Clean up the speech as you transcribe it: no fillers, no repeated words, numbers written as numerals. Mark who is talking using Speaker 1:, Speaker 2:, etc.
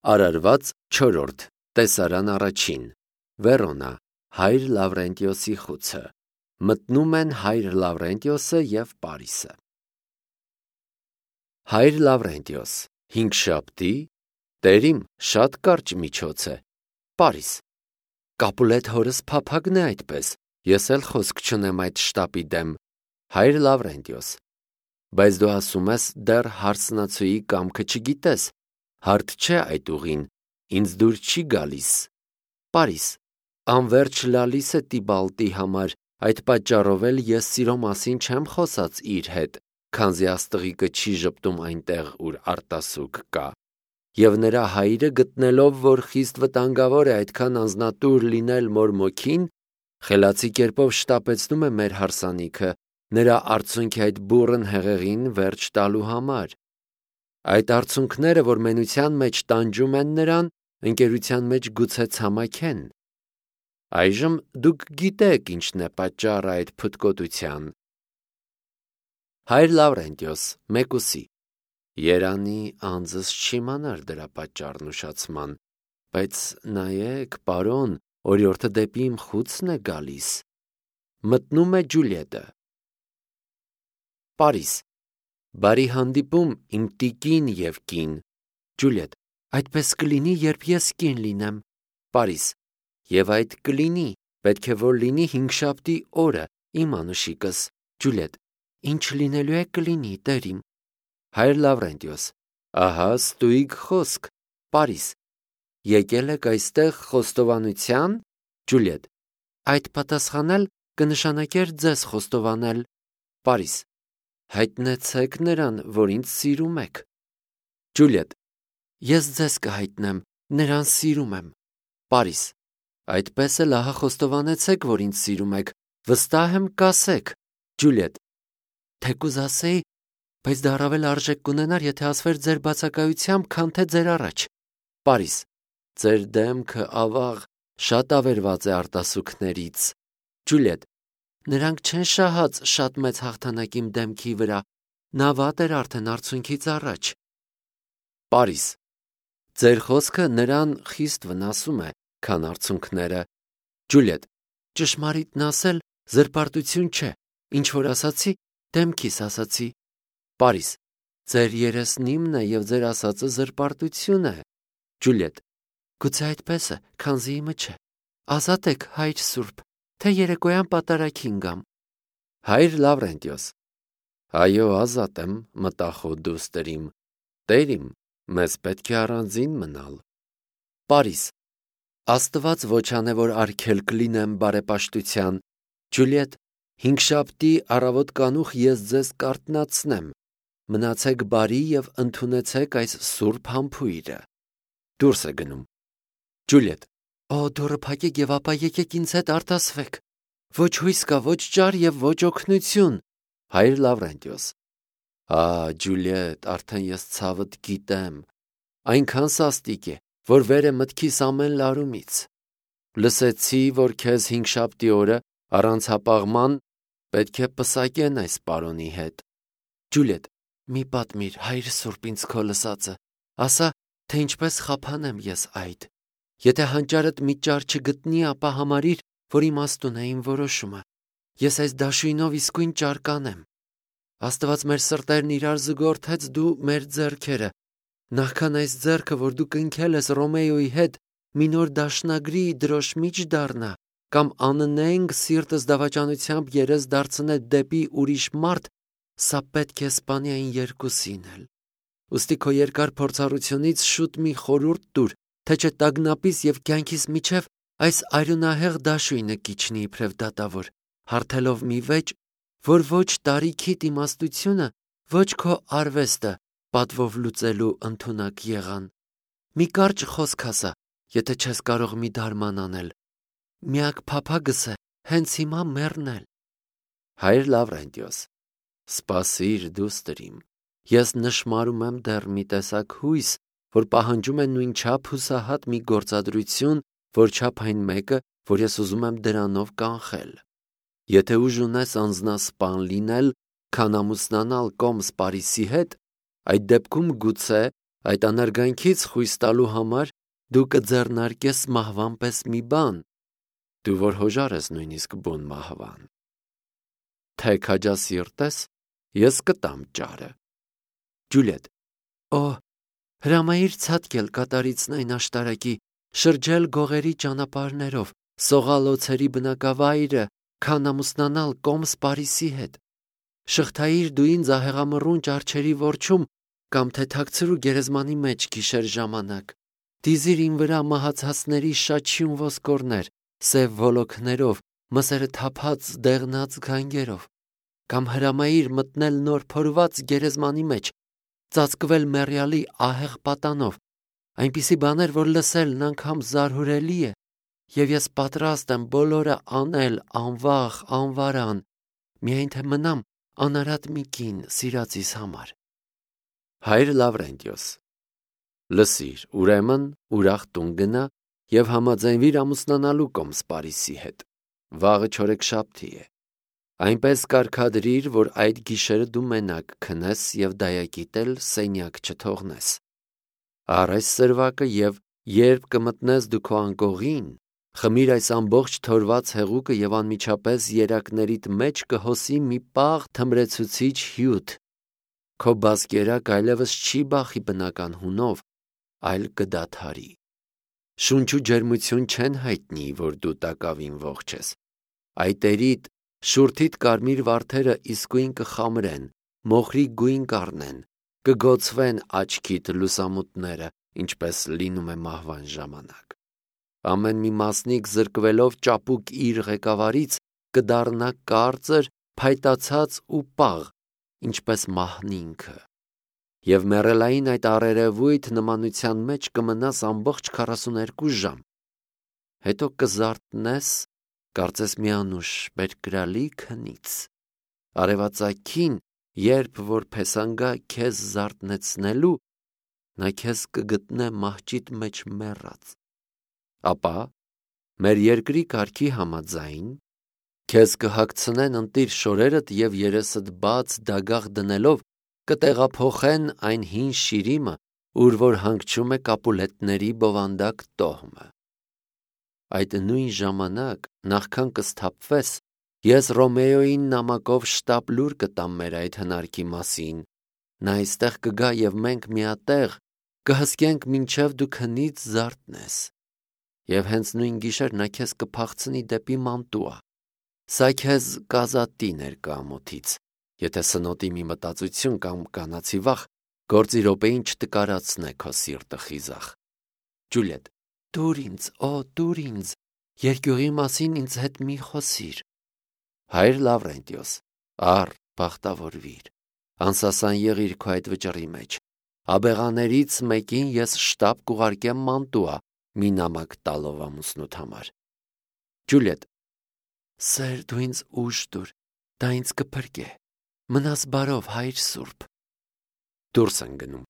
Speaker 1: Արարված 4. Տեսարան առաջին. Վերոնա, հայր Լավրենտիոսի խուցը։ Մտնում են հայր Լավրենտիոսը և Պարիսը։ Հայր Լավրենտիոս, հինգշաբթի, տերիմ շատ կարճ միջոց է։ Պարիս, Կապուլետ հորս փափագն է այդպես, ես էլ խոսք չունեմ այդ շտապի դեմ։ Հայր Լավրենտիոս, բայց դու ասում ես դեռ հարսնացուի կամքը չգիտես, հարթ չէ այդ ուղին, ինձ դուր չի գալիս։ Պարիս, անվերջ լալիս է Տիբալտի համար, այդ պատճառով էլ ես սիրո մասին չեմ խոսած իր հետ, քանզի աստղիկը չի ժպտում այնտեղ, ուր արտասուք կա։ Եվ նրա հայրը գտնելով, որ խիստ վտանգավոր է այդքան անձնատուր լինել մորմոքին, խելացի կերպով շտապեցնում է մեր հարսանիքը, նրա արցունքի այդ բուռն հեղեղին վերջ տալու համար։ Այդ արցունքները, որ մենության մեջ տանջում են նրան, ընկերության մեջ գուցե ցամաքեն։ Այժմ դուք գիտեք ինչն է պատճառը այդ փթկոտության։ Հայր Լավրենտիոս, մեկուսի, երանի անձս չիմանար դրա պատճառն ուշացման, բայց նայեք, պարոն, օրիորդը դեպի իմ խուցն է գալիս։ Մտնում է Ջուլիետը։ Պարիս, բարի հանդիպում իմ տիկին և կին։ Ջուլիետ, այդպես կլինի, երբ ես կին լինեմ։ Պարիս, և այդ կլինի, պետք է որ լինի հինգշաբթի օրը, իմ անուշիկս։ Ջուլիետ, ինչ լինելու է կլինի, տերիմ։ Հայր Լավրենտիոս, ահա ստույգ խոսք։ Պարիս, եկել եք այստեղ խոստովանության։ Ջուլիետ, այդ պատասխանել կնշանակեր ձեզ խոստովանել։ Պարիս, հայտնեցեք նրան, որ ինձ սիրում եք։ Ջուլիետ, ես ձեզ կհայտնեմ, նրան սիրում եմ։ Պարիս, այդպես էլ ահա խոստովանեցեք, որ ինձ սիրում եք, վստահ եմ կասեք։ Ջուլիետ, թեկուզ ասեի, բայց դա առավել արժեք կունենար, եթե ասվեր ձեր բացակայությամբ, քան թե ձեր առաջ։ Պարիս, ձեր դեմքը, ավաղ, շատ ավերված է արտասուքներից։ Ջուլիետ, նրանք չեն շահած շատ մեծ հաղթանակ իմ դեմքի վրա, նա վատ էր արդեն արցունքից առաջ։ Պարիս, ձեր խոսքը նրան խիստ վնասում է, քան արցունքները։ Ջուլիետ, ճշմարիտն ասել զրպարտություն չէ, ինչ որ ասացի, դեմքիս ասացի։ Պարիս, ձեր երեսնիմն է և ձեր ասածը զրպարտություն է։ Ջուլիետ, գուցե այդպես է, քանզի իմը չէ։ Ազատ եք, հայր Սուրբ, թե երեկոյան պատարագին գամ։ Հայր Լավրենտիոս, այո, ազատ եմ, մտախոհ դուստերիմ, տերիմ, մեզ պետք է առանձին մնալ։ Պարիս, Աստված ոչ անե, որ արգելք լինեմ բարեպաշտության։ Ջուլիետ, հինգշաբթի առավոտ կանուխ ես ձեզ կարթնացնեմ։ Մնացեք բարի և ընդունեցեք այս սուրբ համբույրը։ Դուրս է գնում։ Ջուլիետ, օ, դուռը փակեք և ապա եկեք ինձ հետ արտասվեք։ Ոչ հույս կա, ոչ ճար և ոչ օգնություն։ Հայր Լավրենտիոս, Ջուլիետ, արդեն ես ցավդ գիտեմ, այնքան սաստիկ է, որ վեր է մտքիս ամեն լարումից։ Լսեցի, որ քեզ հինգշաբթի օրը առանց հապաղման պետք է պսակեն այս պարոնի հետ։ Ջուլիետ, մի պատմիր, հայր Սուրբ, ինձ քո լսածը, ասա, թե ինչպես խափանեմ ես այդ։ Եթե հանճարդ մի ճար չգտնի, ապա համարիր, որ իմաստուն է իմ որոշումը։ Ես այս դաշույնով իսկույն ճար կանեմ։ Աստված մեր սրտերն իրար զուգորդեց, դու մեր ձեռքերը։ Նախքան այս ձեռքը, որ դու կնքել ես Ռոմեոյի հետ, մի նոր դաշնագրի դրոշմիջ դառնա, կամ աննենք սիրտս դավաճանությամբ երես դարձնե դեպի ուրիշ մարդ, սա պետք է սպանի այն երկուսին էլ։ Ուստի քո երկար փորձառությունից շուտ մի խորհուրդ տուր, թե չէ տագնապիս և կյանքիս միջև այս արյունահեղ դաշույնը կիջնի իբրև դատավոր, հարթելով մի վեճ, որ ոչ տարիքիդ իմաստությունը, ոչ քո արվեստը պատվով լուծելու ընդունակ եղան։ Մի կարճ խոսք ասա, եթե չես կարող մի դարման անել։ Միակ փափագս է հենց հիմա մեռնել։ Հայր Լավրենտիոս, սպասիր դուստերիմ, ես նշմարում եմ դեռ մի տեսակ հույս, որ պահանջում է նույնչափ հուսահատ մի գործադրություն, որչափ այն մեկը, որ ես ուզում եմ դրանով կանխել։ Եթե ուժ ունես անձնասպան լինել, քան ամուսնանալ կոմս Պարիսի հետ, այդ դեպքում գուցե, Այդ անարգանքից խույս տալու համար դու կձեռնարկես մահվան պես մի բան, դու որ հոժար ես նույնիսկ բուն մահվան։ Թե քաջասիրտ ես, ես կտամ ճարը։ Ջուլիետ. Օ, հրամայիր ցատկել կատարիցն աշտարակի, շրջել գողերի ճանապարհներով, սողալ օձերի բնակավայրը, քան ամուսնանալ կոմս Պարիսի հետ։ Շղթայիր դու ինձ ահեղամռունչ արջերի որջում կամ թե թաքցրու գերեզմանի մեջ գիշեր ժամանակ։ Դիզիր իմ վրա մահացածների շաչյուն ոսկորներ, սև ոլոքներով, մսերը թափած դեղնած գանգերով, կամ հրամայիր մտնել նոր փորված գերեզմանի մեջ, ծածկվել մեռյալի ահեղ պատանով, այնպիսի բաներ, որ լսելն անգամ զարհուրելի է, եւ ես պատրաստ եմ բոլորը անել անվախ, անվարան, միայն թե մնամ անարատ մի կին սիրածիս համար։ Հայր Լավրենտիոս. Լսիր, ուրեմն ուրախ տուն գնա եւ համաձայնվիր ամուսնանալու կոմս Պարիսի հետ։ Վաղը չորեքշաբթի է։ Այնպես կարգադրիր, որ այդ գիշերը դու մենակ քնես եւ դայակիտ էլ սենյակ չթողնես։ Առ այս սրվակը եւ երբ կմտնես դու քո անկողին, խմիր այս ամբողջ թորված հեղուկը եւ անմիջապես երակներիդ մեջ կհոսի մի պաղ թմրեցուցիչ հյութ։ Քո բազկերակ այլևս չի բախի բնական հունով, այլ կդադարի։ Շունչ ու ջերմություն չեն հայտնի, որ դու տակավին ողջ ես։ Այտերիդ, շուրթիդ կարմիր վարդերը իսկույն կխամրեն, մոխրի գույն կառնեն, կգոցվեն աչքիդ լուսամուտները, ինչպես լինում է մահվան ժամանակ։ Ամեն մի մասնիկ զրկվելով ճապուկ իր ղեկավարից կդառնա կարծր, փայտացած ու պաղ, ինչպես մահն ինքը։ Եվ մեռելային այդ առերևույթ նմանության մեջ կմնաս ամբողջ 42 ժամ։ Հետո կզարթնես, կարծես մի անուշ բերկրալի քնից։ Արևածագին, երբ որ փեսանգա քեզ զարթնեցնելու, նա քեզ կգտնե մահճիդ մեջ մեռած։ Ապա մեր երկրի կարգի համաձայն քեզ կհագցնեն ընտիր շորերդ եւ երեսդ բաց դագաղ դնելով կտեղափոխեն այն հին շիրիմը, ուր որ հանգչում է կապուլետների բովանդակ տոհմը։ Այդ նույն ժամանակ, նախքան կսթափվես, ես Ռոմեոյին նամակով շտապ լուր կտամ մեր այդ հնարքի մասին։ Նա այստեղ կգա եւ մենք միատեղ կհսկենք մինչև դու քնից զարթնես։ Եվ հենց նույն գիշեր նա քեզ կփախցնի դեպի Մանտուա։ Սա քեզ կազատի ներկամուտից, եթե սնոտի մի մտածություն կամ կանացի վախ գործի րոպեին չտկարացնե քո սիրտը խիզախ։ Ջուլիետ. Դուր ինձ, օ, դուր ինձ, երկյուղի մասին ինձ հետ մի խոսիր։ Հայր Լավրենտիոս. Առ, բախտավորվիր, անսասան եղիր քո այդ վճռի մեջ։ Աբեղաներից մեկին ես շտապ կուղարկեմ Մանտուա, մի նամակ տալով ամուսնուդ համար։ Ջուլիետ. Սեր, դու ինձ ուժ տուր, դա ինձ կփրկե։ Մնաս բարով, հայր սուրբ։ Դուրս են գնում։